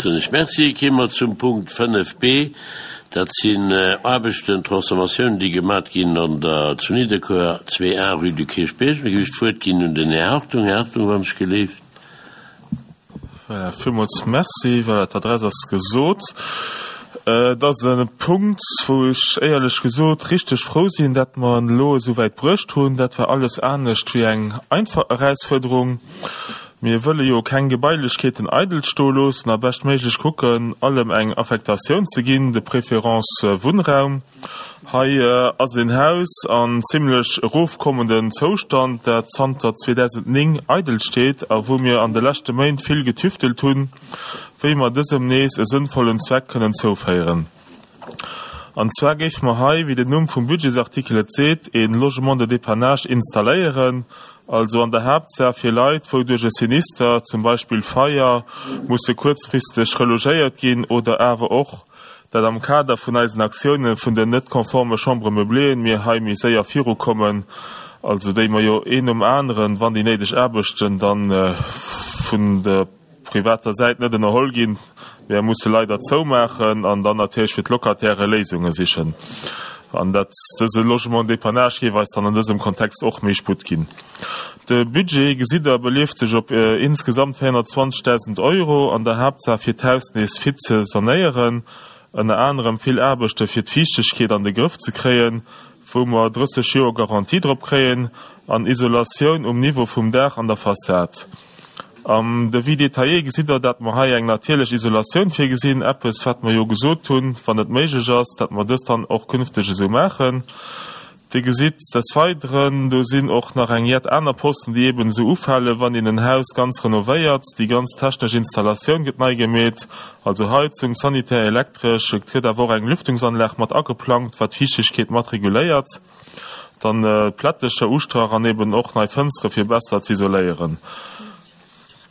Soen ech Merci. Kéime mer zum Punkt 5 b. Dat sinn Aarbechten, Transformatiounen, déi gemat ginn an der, zu Nidderkuer, 2 A, rue du Kierchbierg. Da géif ech d'Wuert ginn un den Här Hartung. Här Hartung, wann ech geleeft. Voilà, villmools Merci. Voilà, d'Adress ass gesot. Et ass e Punkt, wou ech éierlech gesot richteg frou sinn, dat mer en elo esou wäit bruecht hunn. Dat war alles anescht wéi eng einfach Erausfuerderung. Mir wëlle jo keng Gebailechkeeten eidel stoe loossen a beschtméiglech kucken, allem eng Affektatioun ze ginn, de préférence Wunnraum. Hei ass een Haus an zimlech erofkommenden Zoustand, dat zanter 2009 eidel steet a wou mir an de leschte Méint vill getüftelt hunn, wéi mer dësem nees e sënnvollen Zweck kënnen zouféieren. An zwar géife mer hei, wéi den Numm vum Budgetsartikel et seet, een Logement de dépannage installéieren, also an der Haaptsaach fir Leit, wou duerch e Sinister, zum Beispill Feier, musse kuerzfristeg relogéiert ginn oder awer och, dat am Kader vun eisen Aktioune vun den net konforme Chambres meubléeën mir hei méi séier virukommen, also déi mer jo een nom aneren, wann déi néideg Aarbechten dann vun der privater Säit net ënnerholl ginn, mir musse leider zoumaachen an dann natierlech fir d'Locataire Léisunge sichen. An dat dëse Logement dépannage géif eis dann an dësem Kontext och méi Sputt ginn. De Budget, gesitt Der, belieft sech op insgesamt 420.000 Euro, an der Haaptsaach fir d'Haus nees fit ze sanéieren, ënner anerem vill Aarbechte fir d'Fiichtegkeet an de Grëff ze kréien, wou mer 30 Joer Garantie drop kréien, an Isolatioun um Niveau vum Daach an der Fassad. Am Devis détaillé gesitt Der, dat mer hei eng natierlech Isolatioun virgesinn, eppes wat mer jo gesot hunn, wann et méiglech ass, dat mer dëst dann och künfteg esou maachen. Dir gesitt des Weideren, do sinn och nach eng jett aner Posten, déi eeben esou ufalen, wann een en Haus ganz renovéiert. Déi ganz technesch Installatioun gëtt nei gemeet, also Heizung, Sanitär, Elektresch. Et gëtt awer och eng Lüftungsanlag mat ageplangt, wat d'Fiichtegkeet mat reguléiert. Dann Plättecher, Ustrach an eeben och nei Fënstere fir besser z'isoléieren.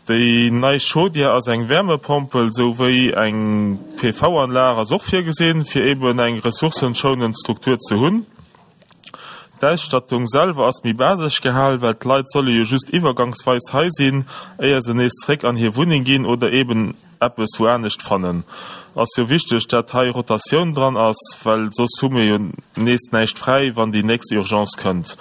Déi nei Chaudière ass eng Wärmepompel, sou wéi eng PV-Anlag ass och virgesinn, fir eben eng ressourcenschounend Struktur ze hunn. D'Ausstattung selwer ass méi basesch gehal, well d'Leit solle jo just iwwergangsweis hei sinn, éier se nees zréck an hir Wunneng ginn oder eben eppes wou anescht fannen. Ass jo wichteg dat hei Rotatioun dran ass, well soss hu mir jo nees näischt fräi wann déi nächst Urgence kënnt.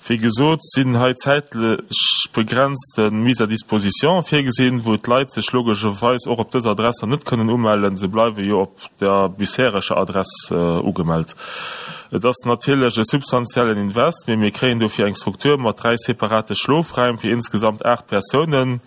Wéi gesot sinn hei zäitlech begrenzte Mise à disposition virgesinn, wou d'Leit sech logescherweis och op dës Adress dann net kënnen umellen, se bleiwe jo op der bishereger Adress ugemellt. Et ass natierlech e substantiellen Invest, mee mir kréien dofir eng Struktur mat 3 separate Schlofräim fir insgesamt 8 Persounen,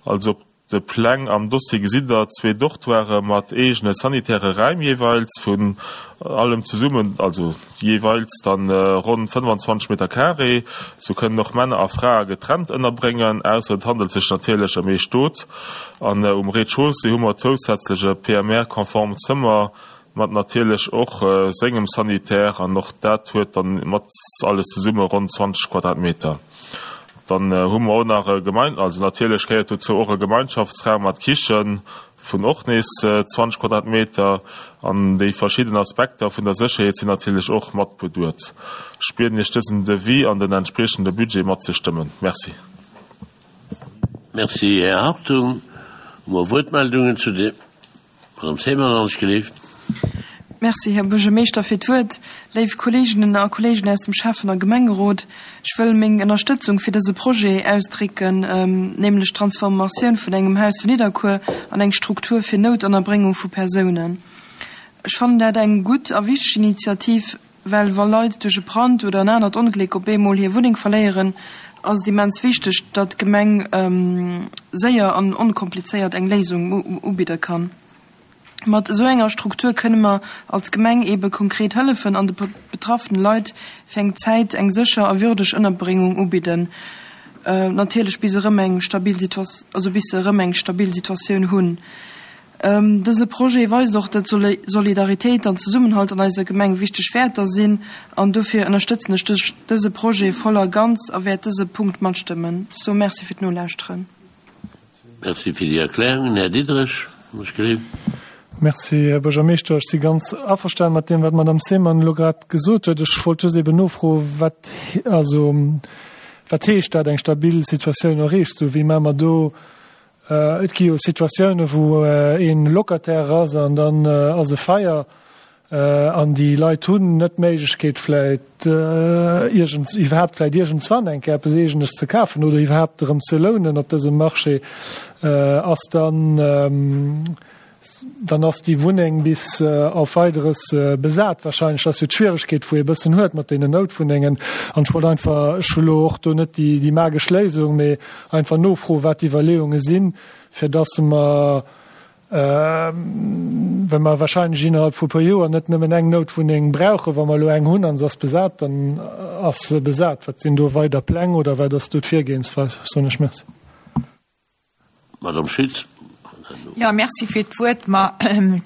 also op De Pläng am Dossier gesitt der zwee Dortoiren mat eegene sanitäre Räim jeeweils vun allem zesummen, also jeeweils dann ronn 25 Meter carré. Sou kënnen och Männer a Frae getrennt ënnerbréngen, ausser et handelt sech natierlech ëm ee Stot. An um Rez-de-chaussée hu mer zousätzlech e PMR-konformt Zëmmer Mat natierlech och sengem Sanitär, an och dat huet dann mat alles zesumme ronn 20 Quadratmeter. Dann hu mer och nach e Gemein-, also natierlech gehéiert dozou och e Gemeinschaftsraum mat Kichen vun och nees 20 Quadratmeter. An déi verschidden Aspekter vun der Sécherheet sinn natierlech och mat beduet. Ech bieden Iech dësen Devis an den entspriechende Budget matzestëmmen. Merci. Merci, Här Hartung. Hu mer Wuertmeldungen zu deem? Madame Zéimer, alles gelift. Merci, Här Buergermeeschter, fir d'Wuert. Léif Kolleeginnen a Kolleegen aus dem Schäffen a Gemengerot, ech wëll meng Ënnerstëtzung fir dëse Projet ausdrécken, nämlech d'Transformatioun vun engem Haus zu Nidderkuer an eng Struktur fir Noutënnerbréngung vu Persounen. Ech fannen dat eng gutt a wichteg Initiativ, Well wa Leit duerch e Brand oder en anert Ongléck op eemol hir Wunneng verléieren, ass et immens wichteg, datt d'Gemeng séier an onkomplizéiert eng Léisung ubidde kann. Mat esou enger Struktur kënne mer als Gemeng eebe konkret hëllefen an de betraffene Leit fir eng Zäit eng sécher a würdeg Ënnerbréngung ubidden, natierlech bis erëm eng stabil also bis se erëm eng stabil Situatioun hunn. Dëse Projet weist och, datt Solidaritéit an Zesummenhalt an eiser Gemeng wichteg Wäerter sinn an dofir ënnerstëtzen ech dëse Projet voll a ganz a wäert dëse Punkt matstëmmen. Ech soe Merci fir d'Nolauschteren. Merci fir déi Erklärungen. Här Diderich, wann ech gelift. Merci, Här Buergermeeschter. Ech si ganz averstanen mat deem, wat d'Madame Seemann elo grad gesot huet. Ech wollt just eben nofroen, wat, also, wat heescht dat, eng stabil Situatioun erreecht? Sou, wéi maache mer do? Et gi jo Situatiounen, wou ee Locataire ass an dann ass e Feier an déi Leit hunn net d'Méiglechkeet vläicht iergends, iwwerhaapt vläicht iergendswann eng Kéier eppes Eegenes ze kafen oder iwwerhaapt erëm ze lounen op dësem Marché. Ass dann, dann ass déi Wunneng bis auf Weideres besat wahrscheinlech. Dat ass jo d'Schwieregkeet, wou ee bëssen huet mat deenen Noutwunnengen. An ech wollt einfach, ech hu lo och do net déi magesch Léisung, mee einfach nofroen, wat d'Iwwerleeunge sinn, fir dass mer, well mer wahrscheinlech innerhalb vu e puer Joer net nëmmen eng Noutwunneng brauchen, wa mer elo eng hunn a se ass besat, dann ass se besat. Wat sinn do weider Pläng oder wat ass do d'Virgehensweis? Soen ech Merci. Madame Schütz. Jo, merci fir d'Wuert. Ma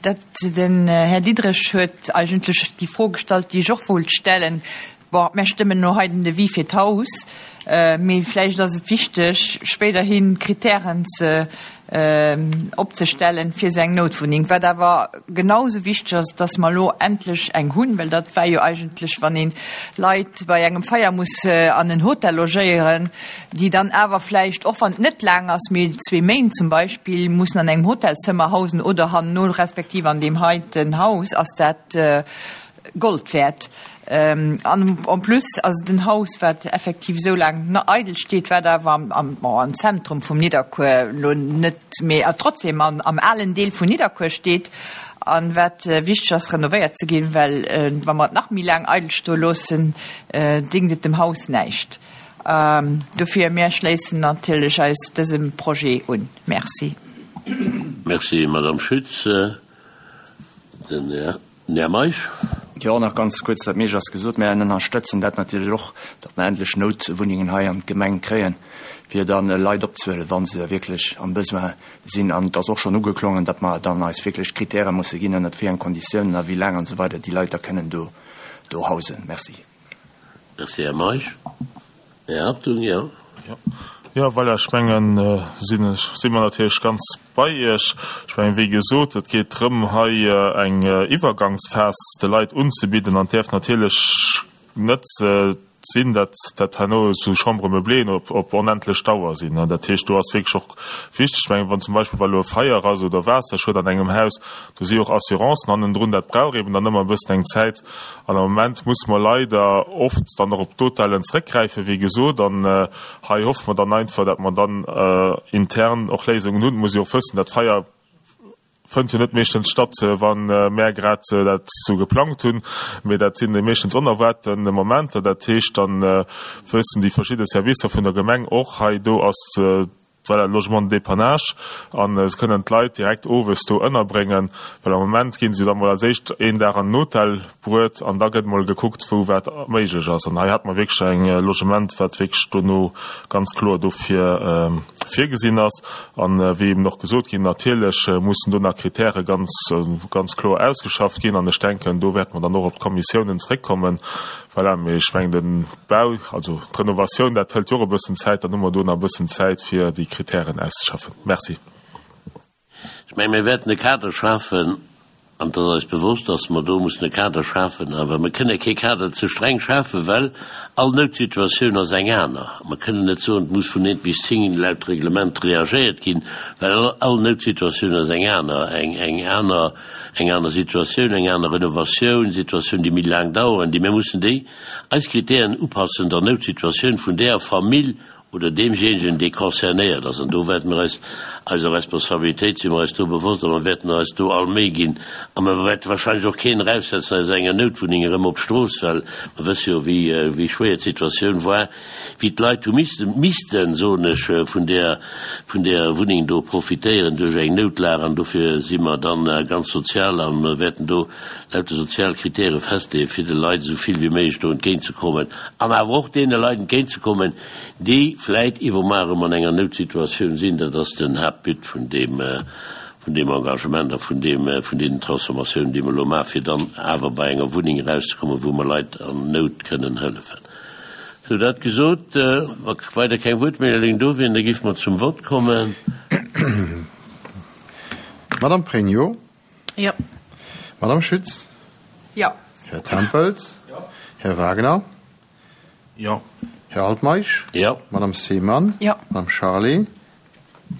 dat, den Här Diderich huet eigentlech déi Fro gestallt, déi ech och wollt stellen. Bon, mär stëmmen elo hei den Devis fir d'Haus, mee vläicht ass et wichteg, spéiderhi Kritären ze opzestellen fir esou eng Noutwunneng. Wat awer genau esou wichteg ass, dass mer elo endlech eng hunn, well dat war jo eigentlech, wann ee Leit bei engem Feier muss an en Hotel logéieren, déi dann awer vläicht, och wann et net laang ass, mee zwee Méint zum Beispill, mussen an engem Hotelzëmmer hausen oder hanno respektiv an deem heiten Haus, ass dat Gold wäert. An en plus ass et en Haus, wat effektiv esou laang eidel steet, wat awer am, bon, am Zentrum vum Nidderkuer elo net, mee trotzdem am alen Deel vun Nidderkuer steet an wat wichteg ass renovéiert ze ginn, well wa mer et nach méi laang eidel stoe loossen, déngt et dem Haus näischt. Dofir, mir schléissen natierlech eis dësem Projet un. Merci. Merci, Madame Schütz. Den Här Meisch. Jo, nach ganz kuerz, dat meescht ass gesot. Mär ënnerstëtzen dat natierlech och, datt mer endlech Noutwunnengen hei an d'Gemeng kréien, fir da Leit opzehuelen, wa se wierklech am Besoin sinn. An et ass och schonn ugeklongen, datt mer dann eis wierklech Kritäre musse ginn, ënnert wéi eng Konditiounen a wéi laang an esou weider déi Leit da kënnen do hausen. Merci. Merci, Här Meisch. Här Hartung, jo. Jo, voilà, ech mengen, sinn ech, si mer natierlech ganz bei Iech. Ech mengen, wéi gesot, et geet drëm, hei eng Iwwergangsphas de Leit unzebidden an et däerf natierlech net sinn, datt dat herno esou Chambre-meublée op, op onendlech Dauer sinn. Dat heescht, do ass wierklech och wichteg, ech mengen, wann zum Beispill, wa elo e Feier ass oder Waasserschued an engem Haus, do si och Assurancen hannendrun, dat brauch eeben dann ëmmer e bëssen eng Zäit. An am Moment musse mer leider oft dann och op d'Hotellen zrëckgräifen, wéi gesot. An hei hoffe mer dann einfach, datt mer dann intern och Léisungen hunn. Et muss ee och wëssen, dat Feier fënnt jo net meeschtens statt, wa mär grad dat esou geplangt hunn, mee dat si meeschtens onerwaarten Momenter. Dat heescht, da wëssen déi verschidde Servicer vun der Gemeng och, hei do ass Voilà, Logement de dépannage, a se kënnen d'Leit direkt owes do ënnerbréngen, well am Moment gi se da mol als éischt een Dag an den Hotel bruet an da gëtt mol gekuckt, wou wat méiglech ass. An hei hat mer wierklech eng Logement, wat wierklech dono ganz kloer dofir virgesinn ass. An wéi eben och gesot ginn, natierlech mussen do nach Kritäre ganz, ganz kloer ausgeschafft ginn an ech denken, do wäerte mer dann och op d'Kommissiounen zréckkommen. Voilà, mee ech mengen, de Bau, also d'Renovatioun, dat hëlt jo och e bëssen Zäit. Dann hu mer do nach e bëssen Zäit, fir déi Kritären auszeschaffen. Merci. Ech mengen, mir wäerten e Kader schafen, an et ass eis bewosst, dass mer do mussen e Kader schafen, awer mir kënne kee Kader ze streng schafen, well all Noutsituatioun ass eng aner. Mer kënnen net soen, et muss vun eent bis zéng laut Reglement reagéiert ginn, well all Noutsituatioun ass eng aner, eng aner. eng aner Situatioun, eng aner Renovatioun, Situatioun, déi méi laang daueren, déi mir mussen déi eis Kritären upassen der Noutsituatioun vun där Famill oder deemjéinegen, dee concernéiert ass. An do wäerte mir eis eiser Responsabilitéit si mir eis do bewosst a mer wäerten eis do all Méi ginn. A mer wäerte wahrscheinlech och keen eraussetzen aus enger Noutwunneng erëm op d'Strooss, well mer wësse jo, wéi, wéi schwéier d'Situatioun war. wéi d'Leit hu missten, missten, soen ech, vun där, vun där Wunneng do profitéieren duerch eng Noutlag. An dofir si mer dann ganz sozial a wäerten do lauter sozial Kritäre festleeën, fir de Leit esou vill wéi méiglech do entgéintzekommen an awer och deene Leit entgéintzekommen, déi vläit iwwermuer erëm an enger Noutsituatioun sinn. Dat ass den Haaptbut vun deem, vun deem Engagement a vun deem, vun deenen Transformatiounen, déi mer elo maachen, fir dann awer bei enger Wunneng erauszekommen, wou mer Leit an Nout kënnen hëllefen. Sou, dat gesot, wa weider keng Wuertmeldungen do wieren, da géife mer zum Vott kommen. Madame Pregno. Jo. Madame Schütz. Jo. Här Tempels. Jo. Här Wagner. Jo. Här Altmeisch. Jo. Madame Seemann. Jo. Madame Charlé.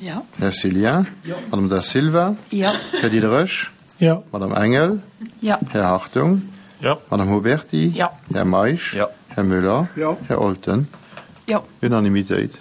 Jo. Här Cillien. Jo. Madame Da Silva. Jo. Här Diderich. Jo. Madame Engel. Jo. Här Hartung. Jo. Madame Huberty. Jo. Här Meisch. Jo. Här Müller. Jo. Här Olten. Jo. Unanimitéit.